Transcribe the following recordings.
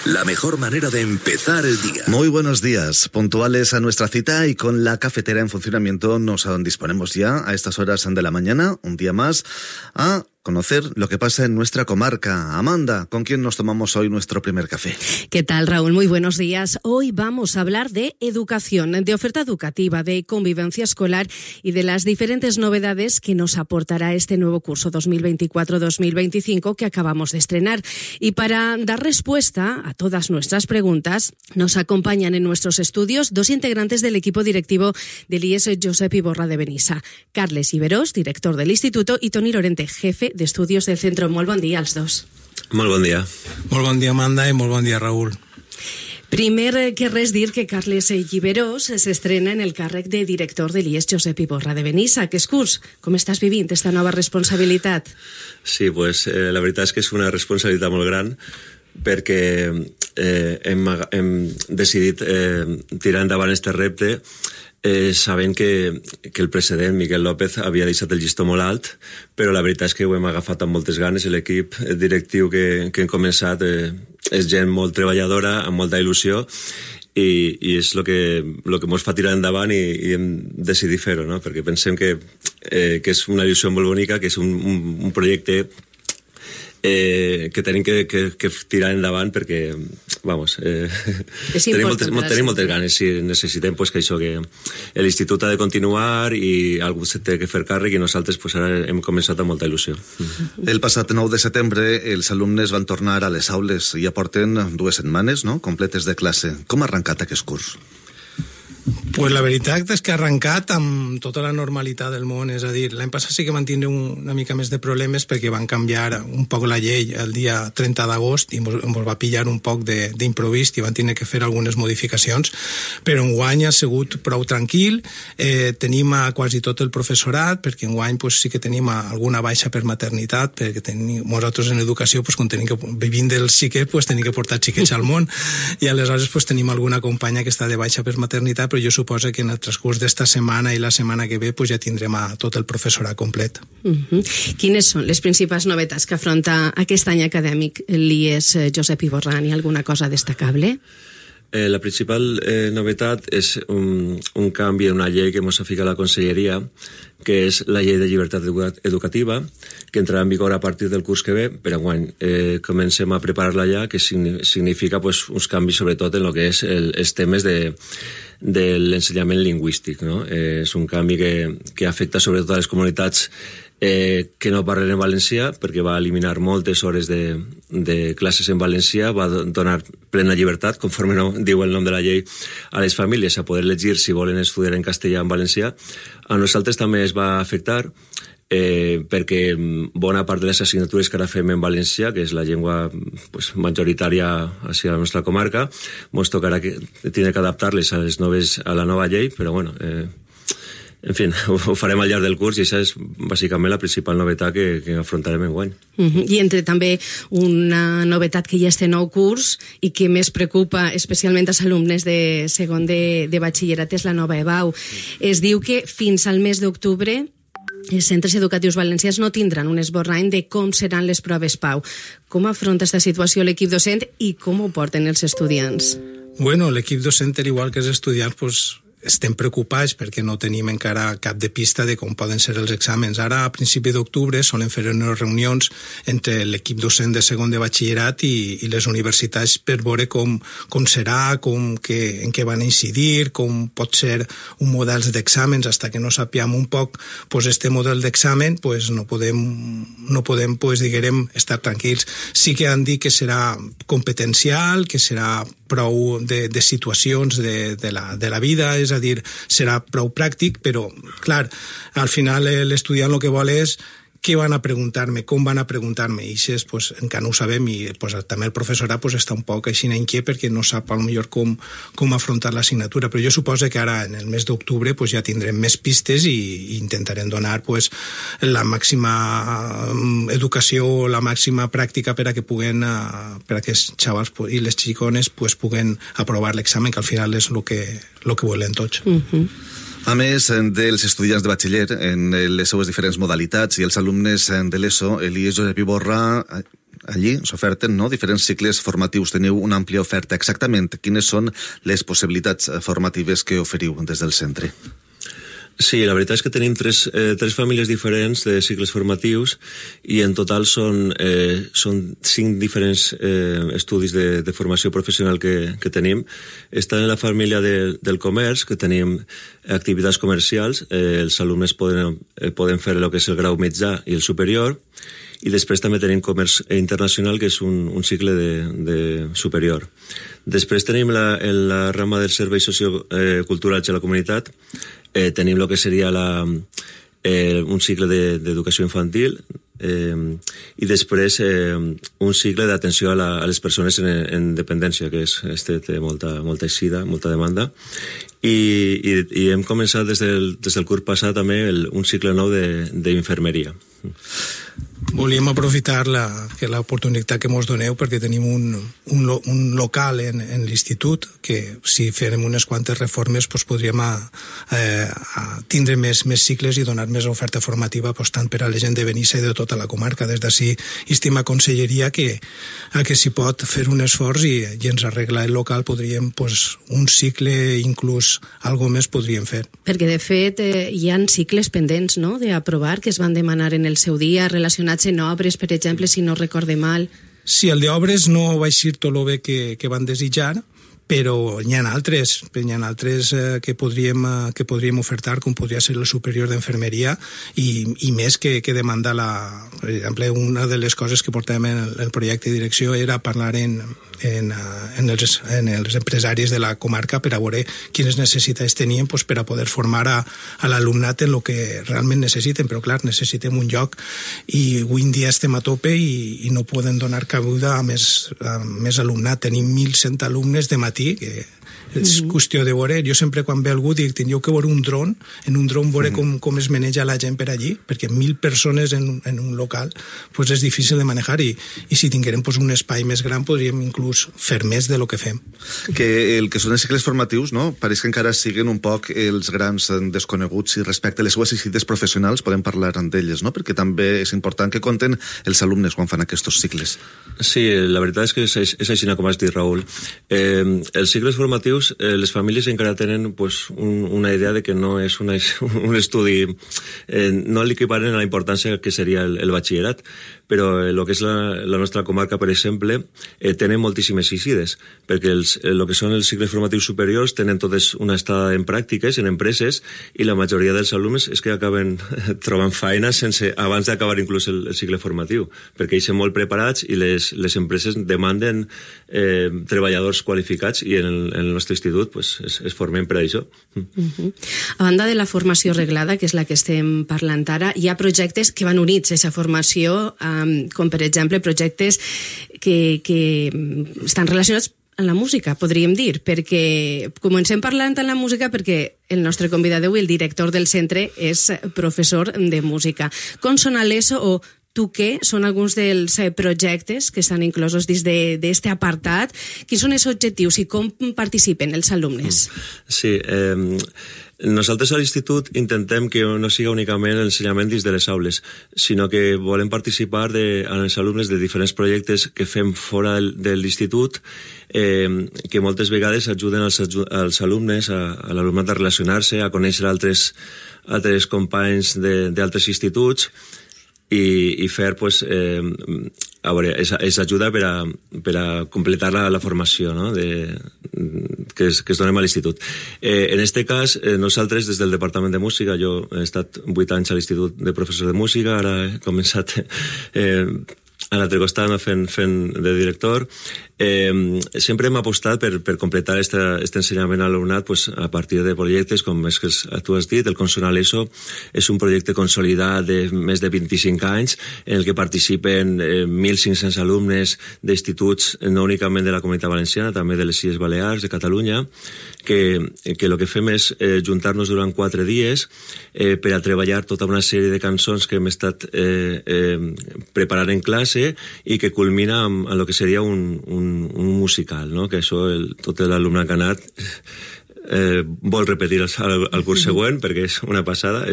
la mejor manera de empezar el día. Muy buenos días, puntuales a nuestra cita y con la cafetera en funcionamiento nos disponemos ya a estas horas de la mañana, un día más, a conocer lo que pasa en nuestra comarca. Amanda, ¿con quién nos tomamos hoy nuestro primer café? ¿Qué tal, Raúl? Muy buenos días. Hoy vamos a hablar de educación, de oferta educativa, de convivencia escolar y de las diferentes novedades que nos aportará este nuevo curso 2024-2025 que acabamos de estrenar. Y para dar respuesta a todas nuestras preguntas, nos acompañan en nuestros estudios dos integrantes del equipo directivo del IES Josep Iborra de Benissa. Carles Iberós, director del instituto, y Toni Lorente, jefe de estudios del centro. Molt bon dia als dos. Molt bon dia. Molt bon dia, Amanda, i molt bon dia, Raúl. Primer que res dir que Carles Iberós s'estrena en el càrrec de director de l'IES Josep Iborra de Benissa. Què curs? Com estàs vivint esta nova responsabilitat? Sí, pues la veritat és que és una responsabilitat molt gran perquè hem decidit tirar endavant este repte sabent que el president Miquel López havia deixat el llistó molt alt, però la veritat és que ho hem agafat amb moltes ganes. L'equip directiu que hem començat és gent molt treballadora, amb molta il·lusió, i és el que ens fa tirar endavant i hem decidit fer-ho, no? Perquè pensem que és una il·lusió molt bonica, que és un projecte que tenim que tirar endavant perquè, vamos, tenim moltes ganes i necessitem que això, que l'institut ha de continuar i algú se té que fer càrrec i nosaltres ara hem començat amb molta il·lusió. El passat 9 de setembre els alumnes van tornar a les aules i ja porten 2 setmanes, no?, completes de classe. Com ha arrencat aquest curs? Pues la veritat és que ha arrencat amb tota la normalitat del món, és a dir, l'any passat sí que van tindre una mica més de problemes perquè van canviar un poc la llei el dia 30 d'agost i ens va pillar un poc d'improvist i van tenir que fer algunes modificacions, però enguany ha sigut prou tranquil, tenim a quasi tot el professorat, perquè enguany sí que tenim alguna baixa per maternitat, perquè nosaltres en educació, quan vivim del xiquet, tenim que portar xiquets al món, i aleshores tenim alguna companya que està de baixa per maternitat, però jo suposo que en el transcurs d'esta setmana i la setmana que ve ja tindrem a tot el professorat complet. Quines són les principals novetats que afronta aquest any acadèmic l'IES Josep Iborra? Hi ha alguna cosa destacable? La principal novetat és un canvi en una llei que ens ha ficat la Conselleria, que és la llei de llibertat educativa, que entrarà en vigor a partir del curs que ve, per enguany. Comencem a preparar-la ja, que significa uns canvis sobretot en el que és els temes de l'ensenyament lingüístic, no? És un canvi que afecta sobretot a les comunitats que no parlen en valencià, perquè va eliminar moltes hores de classes en valencià, va donar plena llibertat, conforme diu el nom de la llei, a les famílies a poder llegir si volen estudiar en castellà o en valencià. A nosaltres també es va afectar perquè bona part de les assignatures que ara fem en valencià, que és la llengua majoritària a la nostra comarca, ens tocarà tenir que adaptar-les a la nova llei, però bueno, en fi, ho farem al llarg del curs i això és bàsicament la principal novetat que afrontarem enguany. I entre també una novetat que hi ha este nou curs i que més preocupa especialment als alumnes de segon de batxillerat és la nova EBAU. Es diu que fins al mes d'octubre els centres educatius valencians no tindran un esborrany de com seran les proves PAU. Com afronta aquesta situació l'equip docent i com ho porten els estudiants? Bueno, l'equip docent, igual que els estudiants, estem preocupats perquè no tenim encara cap de pista de com poden ser els exàmens. Ara, a principi d'octubre, solen fer unes reunions entre l'equip docent de segon de batxillerat i les universitats per veure com serà, en què van incidir, com pot ser un model d'exàmens. Fins que no sapiem un poc este model d'examen, no podem diguem, estar tranquils. Sí que han dit que serà competencial, que serà prou de situacions de la vida, és a dir, serà prou pràctic, però, clar, al final l'estudiant el que vol és què van a preguntar-me, com van a preguntar-me, i això encara no ho sabem, i també el professorat està un poc així inquiet perquè no sap potser com afrontar l'assignatura, però jo suposo que ara en el mes d'octubre ja tindrem més pistes i intentarem donar la màxima educació, la màxima pràctica per a que els xavals i les xicones puguen aprovar l'examen, que al final és el que volen tots. A més dels estudiants de batxiller en les seues diferents modalitats i els alumnes de l'ESO, l'IES Josep Iborra allí s'oferten, no?, diferents cicles formatius. Teniu una àmplia oferta. Exactament quines són les possibilitats formatives que oferiu des del centre? Sí, la veritat és que tenim tres famílies diferents de cicles formatius i en total són 5 diferents estudis de formació professional que tenim. Està en la família del comerç, que tenim activitats comercials. Els alumnes poden fer el que és el grau mitjà i el superior, i després també tenim comerç internacional, que és un cicle de superior. Després tenim la rama dels serveis socioculturals a la comunitat. Tenim el que seria un cicle d'educació infantil i després un cicle d'atenció a les persones en dependència, que té molta eixida, molta demanda. I hem començat des del curs passat també un cicle nou d'infermeria. Volíem aprofitar l'oportunitat que ens doneu perquè tenim un local en l'institut que si farem unes quantes reformes podríem tindre més cicles i donar més oferta formativa tant per a la gent de Benissa i de tota la comarca. Des d'ací estima conselleria que si pot fer un esforç i ens arreglar el local, podríem un cicle, inclús algo més podríem fer. Perquè de fet hi ha cicles pendents, no?, d'aprovar, que es van demanar en el seu dia, relacionats en obres, per exemple, si no recorde mal. Sí, el d'obres no va eixir tot el bé que van desitjar, però n'hi ha altres que podríem ofertar, com podria ser el superior d'enfermeria, i més que demanda per exemple, una de les coses que portàvem en el projecte de direcció era parlar en els empresaris de la comarca per a veure quines necessitats tenien per a poder formar a l'alumnat en el que realment necessiten, però clar, necessitem un lloc i avui en dia estem a tope i no poden donar cabuda a més alumnat. Tenim 1.100 alumnes de matí, que és qüestió de veure. Jo sempre quan ve algú dic, tindríeu que veure un dron, en un dron veure com es maneja la gent per allí, perquè 1.000 persones en un local és difícil de manejar i si tinguérem un espai més gran podríem inclús fer més de lo que fem. Que el que són els cicles formatius, no?, pareix que encara siguen un poc els grans desconeguts i respecte a les seues necessitats professionals podem parlar d'elles, no?, perquè també és important que compten els alumnes quan fan aquests cicles. Sí, la veritat és que és així com has dit, Raül. Els cicles formatius, les famílies encara tenen una idea de que no és un estudi, no l'equiparen a la importància que seria el batxillerat, però el que és la nostra comarca, per exemple, tenen moltíssimes eixides, perquè el que són els cicles formatius superiors tenen totes una estada en pràctiques, en empreses, i la majoria dels alumnes és que acaben trobant feina abans d'acabar inclús el cicle formatiu, perquè ells són molt preparats i les empreses demanden treballadors qualificats i en el nostre institut es formen per a això. A banda de la formació reglada, que és la que estem parlant ara, hi ha projectes que van units a aquesta formació, com per exemple projectes que estan relacionats amb la música, podríem dir, perquè comencem parlant en la música perquè el nostre convidat d'avui, el director del centre, és professor de música. Com són a l'ESO o tu què? Són alguns dels projectes que estan inclosos dins d'aquest apartat. Quins són els objectius i com participen els alumnes? Sí, nosaltres a l'institut intentem que no siga únicament l'ensenyament dins de les aules, sinó que volem participar amb els alumnes de diferents projectes que fem fora de l'institut, que moltes vegades ajuden als alumnes, a l'alumnat a relacionar-se, a conèixer altres companys d'altres instituts, i fer, és ajuda per a completar la formació, no?, que es donem a l'institut. En aquest cas, nosaltres, des del Departament de Música, jo he estat 8 anys a l'Institut de Professor de Música, ara he començat a l'altre costat fent de director. Sempre hem apostat per completar aquest ensenyament a l'alumnat a partir de projectes com és que tu has dit, el Consonant ESO és un projecte consolidat de més de 25 anys en el que participen 1.500 alumnes d'instituts no únicament de la Comunitat Valenciana, també de les Illes Balears, de Catalunya, que el que fem és juntar-nos durant 4 dies per a treballar tota una sèrie de cançons que hem estat preparant en classe i que culmina amb el que seria un musical, no?, que això tot l'alumnat que ha anat vol repetir el curs següent, perquè és una passada,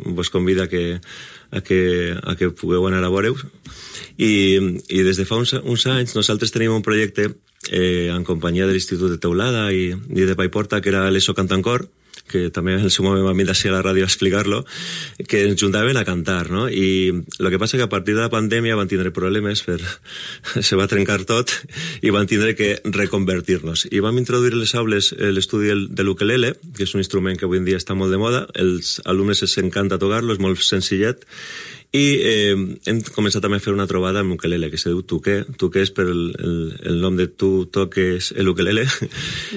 vos convida a que pugueu anar a veure-ho. I des de fa uns anys nosaltres tenim un projecte en companyia de l'Institut de Teulada i de Paiporta, que era l'ESO Cantancor, que també en el seu moment vam ir a la ràdio a explicar-lo, que ens juntaven a cantar, no? I el que passa que a partir de la pandèmia van tindre problemes, se va trencar tot i van tindre que reconvertir-nos. I vam introduir a les aules l'estudi de l'ukelele, que és un instrument que avui en dia està molt de moda, els alumnes els encanta tocar-lo, és molt senzillet, i hem començat també a fer una trobada amb ukelele, que se diu Tuque. Tuque és per el nom de tu toques l'ukelele,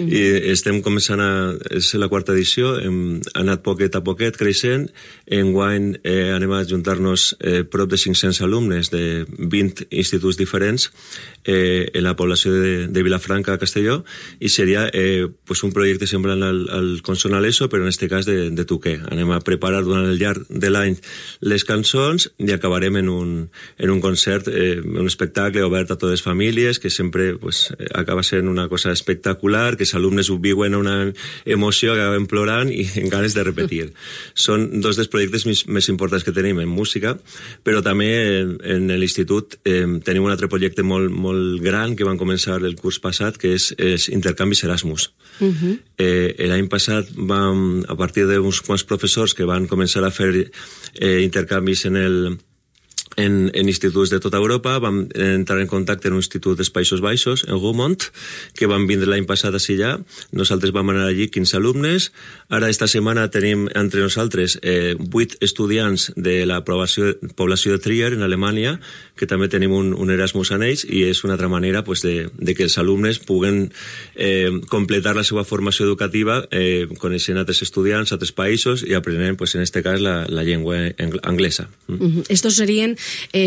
i estem començant és la 4ª edició, hem anat poquet a poquet creixent. Enguany anem a juntar-nos prop de 500 alumnes de 20 instituts diferents en la població de Vilafranca, Castelló, i seria un projecte semblant al Consonant ESO, però en aquest cas de Tuque. Anem a preparar durant el llarg de l'any les cançons i acabarem en un concert, un espectacle obert a totes les famílies, que sempre acaba sent una cosa espectacular, que els alumnes ho viuen una emoció que acaben plorant i en ganes de repetir. Són dos dels projectes més importants que tenim en música, però també en l'institut tenim un altre projecte molt gran que van començar el curs passat, que és intercanvis Erasmus. L'any passat vam, a partir d'uns quants professors que van començar a fer intercanvis en instituts de tota Europa, vam entrar en contacte en un institut dels Països Baixos, en Gaumont, que van vindre l'any passat a allà. Nosaltres vam anar allí 15 alumnes. Ara, esta setmana, tenim entre nosaltres 8 estudiants de la població de Trier, en Alemanya, que també tenim un Erasmus en ells, i és una altra manera de que els alumnes puguen completar la seva formació educativa coneixent altres estudiants, altres països, i aprenent, en aquest cas, la llengua anglesa. Estos serien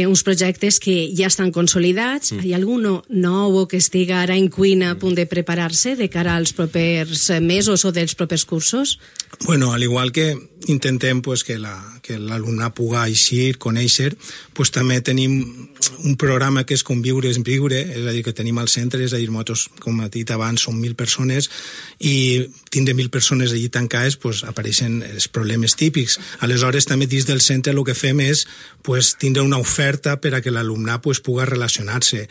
uns projectes que ja estan consolidats. Hi ha algun nou que estiga ara en cuina a punt de preparar-se de cara als propers mesos o dels propers cursos? Bueno, al igual que intentem que l'alumnat pugui eixir, conèixer, també tenim un programa que és Conviure és Viure, és a dir, que tenim al centre, és a dir, nosaltres, com he dit abans, som 1.000 persones, i tindre 1.000 persones allí tancades, apareixen els problemes típics. Aleshores, també dins del centre el que fem és tindre una oferta per a que l'alumnat pugui relacionar-se.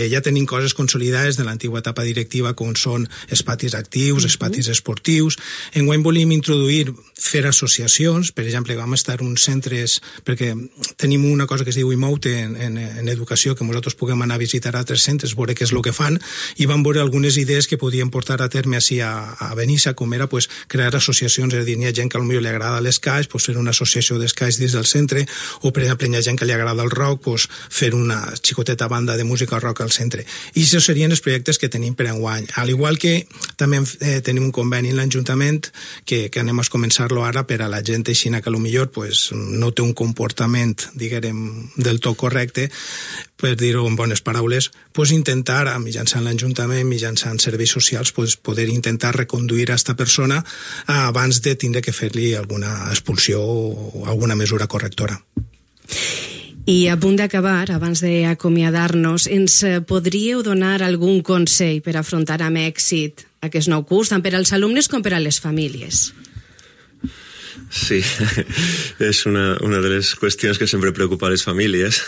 Ja tenim coses consolidades de l'antiga etapa directiva, com són els patis actius, els patis esportius. Enguany volíem introduir, fer associacions. Per exemple, vam estar en uns centres, perquè tenim una cosa que es diu IMOUTE en educació, que nosaltres puguem anar a visitar altres centres, veure què és el que fan, i vam veure algunes idees que podíem portar a terme així a Benissa, com era crear associacions. És a dir, hi ha gent que potser li agrada l'escaix, fer una associació d'escaix dins del centre, o per exemple, hi ha gent que li agrada el rock, fer una xicoteta banda de música rock al centre. I això serien els projectes que tenim per enguany. Al igual que també tenim un conveni en l'Ajuntament que anem a començar-lo ara per a la gent aixina que potser no té un comportament, diguem, del tot correcte, per dir-ho en bones paraules, intentar, mitjançant l'Ajuntament, mitjançant serveis socials, poder intentar reconduir a aquesta persona abans de tindre que fer-li alguna expulsió o alguna mesura correctora. I a punt d'acabar, abans d'acomiadar-nos, ens podríeu donar algun consell per afrontar amb èxit aquest nou curs, tant per als alumnes com per a les famílies? Sí, és una de les qüestions que sempre preocupa a les famílies.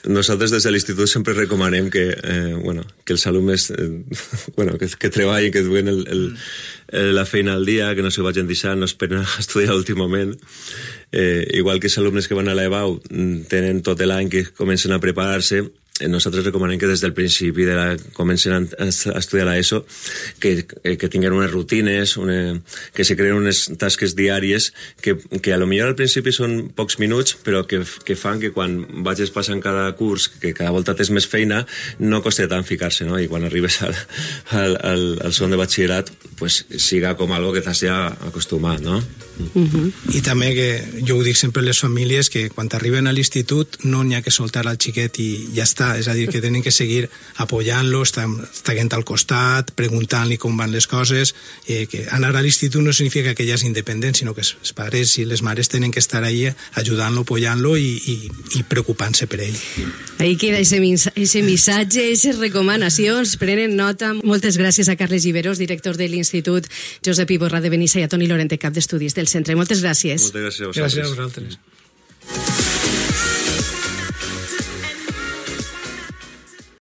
Nosaltres des de l'institut sempre recomanem que els alumnes que treballin, que duen la feina al dia, que no s'ho vagin deixant, no esperen a estudiar a l'últim moment. Igual que els alumnes que van a l'EBAU tenen tot l'any que comencen a preparar-se, nosaltres recomanem que des del principi comencen a estudiar l'ESO que tinguin unes rutines, que se creen unes tasques diàries que a lo millor al principi són pocs minuts, però que fan que quan vagis passant cada curs, que cada volta tens més feina, no costa tant ficar-se, no? I quan arribes al segon de batxillerat siga com algo que t'has ja acostumat, no? I també que jo ho dic sempre a les famílies, que quan arriben a l'institut no n'hi ha que soltar al xiquet i ja està, està, és a dir, que tenen que seguir apoyant-lo, estant al costat, preguntant-li com van les coses, que anar a l'institut no significa que ella és independent, sinó que els pares i les mares tenen que estar ahí ajudant-lo, apoyant-lo i preocupant-se per ell. Ahí queda ese missatge, aquestes recomanacions, prenen nota. Moltes gràcies a Carles Giberós, director de l'Institut Josep Iborra de Benissa, i a Toni Lorente, cap d'estudis del centre. Moltes gràcies. Moltes gràcies a vosaltres. Gràcies a vosaltres.